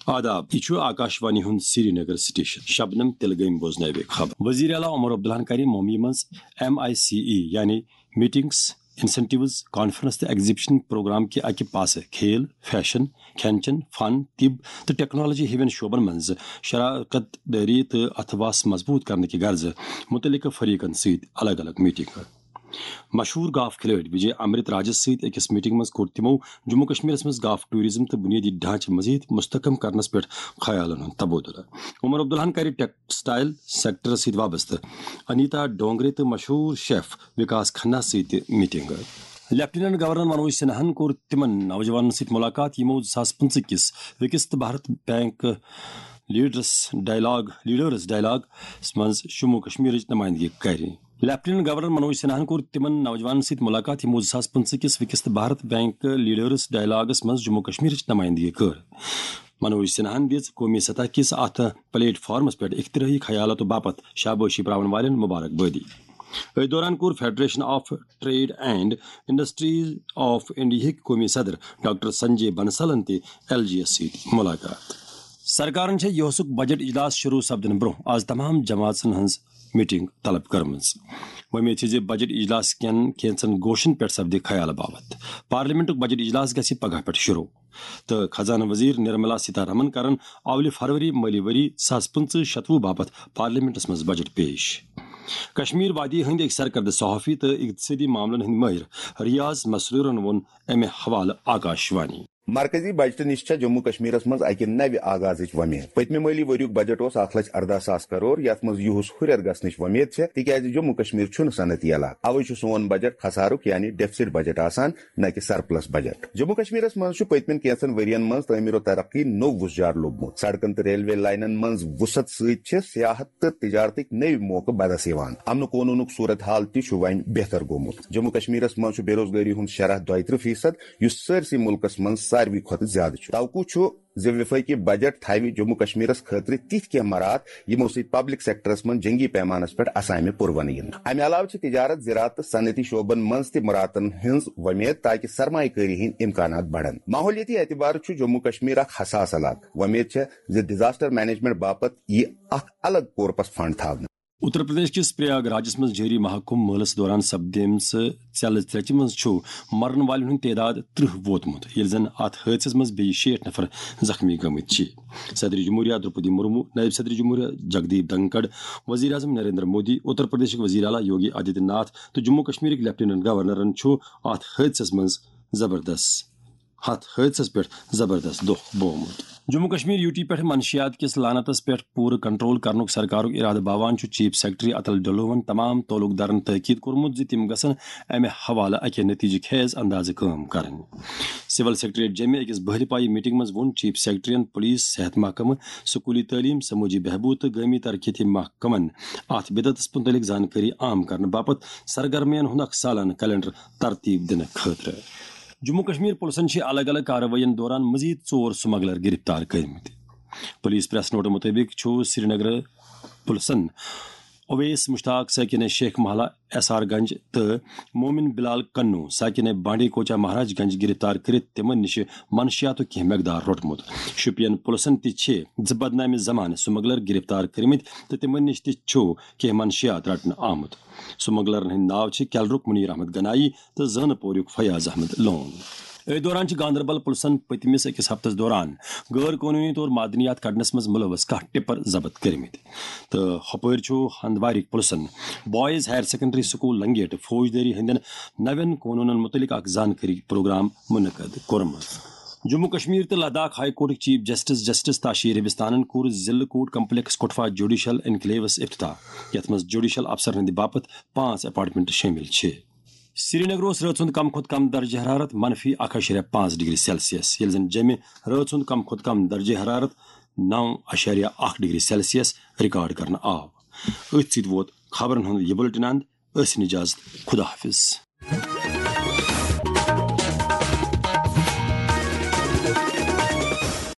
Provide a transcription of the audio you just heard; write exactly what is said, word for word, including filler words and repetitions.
آداب، یہِ چھُ آکاش وانی ہُنٛد سری نگر سٹیشن۔ شبنم تِلہٕ گٔمۍ بوزنٲوِ خبر۔ وزیر اعلیٰ عمر عبداللہن کَرِ ممبئی منٛز ایم آئی سی ای، یعنی میٹنگز، انسینٹیوز، کانفرنس تہٕ ایگزیبشن پروگرام کہِ اکہِ پاسہٕ کھیل، فیشن، کھٮ۪ن چٮ۪ن، فن، طب تہٕ ٹیکنالوجی ہِوٮ۪ن شعبن منٛز شراکت دٲری تہٕ اتھواس مضبوط کرنہٕ کہِ غرضہٕ مُتعلقہٕ فریقن سۭتۍ الگ الگ میٹنگ۔ مشہوٗر گالف کھلٲڑۍ وجے امرت راجس سۭتۍ أکِس میٹنگ منٛز کوٚر تِمو جموں کشمیرس منٛز گالف ٹوریزم تہٕ بُنیٲدی ڈھانچہٕ مزید مستحکم کرنس پٮ۪ٹھ خیالن ہُنٛد تبادلہٕ۔ عمر عبداللہن کرِ ٹیکسٹائل سیکٹرس سۭتۍ وابستہٕ انیتا ڈونگرے تہٕ مشہوٗر شیف وکاس کھنہ سۭتۍ تہِ میٹنگ۔ لیفٹیننٹ گورنر منوج سنہاہن کوٚر تِمن نوجوانن سۭتۍ ملاقات، یِمو زٕ ساس پٕنٛژٕہ کِس Viksit Bharat bank leaders dialogue, leaders dialogues منٛز جموں کشمیرٕچ نمائندگی کرِ۔ لیفٹیننٹ گورنر منوج سنہاہن کوٚر تِمن نوجوانن سۭتۍ ملاقات، یِمو زٕ ساس پٕنٛژٕہ کِس Viksit Bharat bank leaders dialogues منٛز جموں کشمیرٕچ نمائندگی کٔر۔ منوج سنہاہن دِژ قومی سطح کِس اتھ پلیٹ فارمس پٮ۪ٹھ اختراعی خیالاتو باپتھ شابٲشی پراون والٮ۪ن مبارک بٲدی۔ أتھۍ دوران کوٚر federation of trade and industries of انڈیاہٕکۍ قومی صدر ڈاکٹر سنجے بنسلن تہِ ایل جی یس سۭتۍ ملاقات۔ سرکارن چھےٚ یوسُک بجٹ اجلاس شروع سپدنہٕ برونٛہہ آز تمام جماژن ہٕنٛز میٹنگ طلب کٔرمٕژ۔ وۄمید چھِ زِ بجٹ اجلاس کٮ۪ن کینٛژن گوشن پٮ۪ٹھ سپدِ خیال باوتھ۔ پارلیمنٹُک بجٹ اجلاس گژھِ پگاہ پٮ۪ٹھ شروع تہٕ خزانہٕ وزیر نرملا سیتارمن کرن اولہِ فروری مٲلی ؤری زٕ ساس پٕنٛژٕہ شتوُہ باپتھ پارلیمنٹس منٛز بجٹ پیش۔ کشمیر وادی ہٕنٛدۍ أکۍ سرکردٕ صحافی تہٕ اقتصٲدی معاملن ہٕنٛدۍ مٲہر ریاض مسروٗرن ووٚن امہِ حوالہٕ آکاش وانی۔ مرکزی بجٹہٕ نِش چھےٚ جموں کشمیرس منٛز اکہِ نوِ آغازٕچ وۄمید۔ پٔتمہِ مٲلی ؤریُک بجٹ اوس اکھ لچھ ارداہ ساس کرور، یتھ منٛز یِہُس ہُرٮ۪ر گژھنٕچ وۄمید چھےٚ، تِکیازِ جموں کشمیر چھُنہٕ صنعتی علاقہٕ، اوے چھُ سون بجٹ خسارُک یعنی ڈیفسٹ بجٹ آسان، نہ کہِ سرپلس بجٹ۔ جموں کشمیرس منٛز چھُ پٔتمٮ۪ن کینٛژن ؤرین منٛز تعمیر و ترقی نوٚو وُژھ جار لوٚبمُت۔ سڑکن تہٕ ریلوے لائنن منٛز وسعت سۭتۍ چھِ سیاحت تہٕ تجارتٕکۍ نٔوۍ موقعہٕ بدس یِوان۔ امن و قونوٗنُک صورت حال تہِ چھُ وۄنۍ بہتر گوٚمُت۔ جموں کشمیرس منٛز چھُ بے روزگاری ہُنٛد شرح دۄیہِ ترٕٛہ فیصد، یُس سٲرسٕے مُلکس منٛز ساروی کھۄتہٕ زیادٕ چھُ۔ توقع چھُ زِ وفٲقی بجٹ تھاوِ جموں کشمیرس خٲطرٕ تِتھۍ کینٛہہ مراعات، یِمو سۭتۍ پبلک سیکٹرس منٛز جنگی پیمانس پٮ۪ٹھ اسامہِ پُروَنہٕ یِن۔ امہِ علاوٕ چھِ تجارت، زراعت تہٕ صنعتی شعبن منٛز تہِ مراعاتن ہٕنٛز وۄمید، تاکہِ سرمایہ کٲری ہٕنٛدۍ امکانات بڑن۔ ماحولیٲتی اعتبارٕ چھُ جموں کشمیر اکھ حساس علاقہٕ۔ وۄمید چھےٚ زِ ڈیزاسٹر مینجمنٹ باپتھ یِیہِ اکھ الگ کورپس فنڈ تھاونہٕ۔ اتر پردیش کِس پریاگ راجس منٛز جٲری مہاکمبھ مٲلس دوران سپدیمژٕ ژیلہٕ ترٛیچہِ منٛز چھُ مرن والٮ۪ن ہُنٛد تعداد ترٕٛہ ووتمُت، ییٚلہِ زن اتھ حٲدثس منٛز بیٚیہِ شیٹھ نفر زخمی گٔمٕتۍ چھِ۔ صدر جمہوریہ درپدی مرمو، نائب صدر جمہوریہ جگدیپ دھنکڑ، وزیر اعظم نریندر مودی، اتر پردیشٕکۍ وزیر اعلیٰ یوگی آدتیہ ناتھ تہٕ جموں کشمیرٕکۍ لیفٹیننٹ گورنرن چھُ اتھ حٲدثس منٛز زبردست ہتھ حٲدثس پٮ۪ٹھ زبردست دۄکھ بوومُت۔ جموں کشمیر یوٗ ٹی پٮ۪ٹھ منشیات کِس لعنتس پٮ۪ٹھ پوٗرٕ کنٹرول کرنُک سرکارُک ارادٕ باوان چھُ چیف سیکرٹری اتل ڈھلووَن تمام تعلق دارن تاکید کوٚرمُت زِ تِم گژھن امہِ حوالہٕ اکہِ نتیجہٕ خیز اندازٕ کٲم کرٕنۍ۔ سول سیکرٹریٹ جیمہِ أکِس بہلہِ پایہِ میٹنگ منٛز ووٚن چیف سیکرٹریَن پولیس، صحت محکمہٕ، سکولی تعلیم، سمٲجی بہبود تہٕ گٲمی ترقیتی محکمن اتھ بدعتس متعلق زانکٲری عام کرنہٕ باپتھ سرگرمین ہُنٛد اکھ سالانہٕ کیلنڈر ترتیب دِنہٕ خٲطرٕ۔ جموں کشمیر پُلسن چھِ الگ الگ کاروٲیین دوران مزید ژور سمگلر گرفتار کٔرمٕتۍ۔ پولیس پریس نوٹہٕ مُطٲبِق چھُ سرینگر پُلسن اویس مشتاق ساکن شیخ محلہ ایس آر گنج تہٕ مومن بلال کنو ساکن بانڈی کوچا مہاراج گنج گرفتار کٔرِتھ تِمن نِش منشیاتُک کینٛہہ مقدار روٚٹمُت۔ شوپین پُلسن تہِ چھِ زٕ بدنامہِ زمانہٕ سمگلر گرفتار کٔرمٕتۍ تہٕ تِمن نِش تہِ چھُ کینٛہہ منشیات رٹنہٕ آمُت۔ سمگلرن ہٕنٛدۍ ناو چھِ کیلرُک منیر احمد گنایی تہٕ زٲنہٕ پوریُک فیاض احمد لون۔ أتھۍ دوران چھِ گاندربل پُلسن پٔتمِس أکِس ہفتس دوران غٲر قونوٗنی طور معدنیات کڑنس منٛز مُلوث کاہ ٹپر ضبط کٔرمٕتۍ۔ تہٕ ہۄپٲرۍ چھُ ہندوارٕکۍ پُلسن boys higher secondary school Langate فوجدٲری ہٕنٛدٮ۪ن نوٮ۪ن قونوٗنن مُتعلق اکھ زانکٲری پروگرام منعقد کوٚرمُت۔ جموں کشمیر تہٕ لداخ ہائی کورٹٕکۍ چیف جسٹس جسٹس تاشی ربستانن کوٚر ضلعہٕ کورٹ کمپلیکس کٹھوا جوڈیشل انکلیوس افتتاح، یتھ منٛز جوڈیشل افسرن ہٕنٛدِ باپتھ پانٛژھ اپارٹمنٹ شٲمِل چھِ۔ سرینگر اوس رٲژ ہُنٛد کم کھۄتہٕ کم درجہ حرارت منفی اکھ اعشاریہ پانٛژھ ڈگری سیلسیس، ییٚلہِ زن جیٚمہِ رٲژ ہُنٛد کم کھۄتہٕ کم درجہ حرارت نو اعشاریہ اکھ ڈگری سیلسیس ریکارڈ کرنہٕ آو۔ أتھۍ سۭتۍ ووت خبرن ہُنٛد یہِ بُلٹن اند۔ ٲسِن اجازت، خدا حافظ۔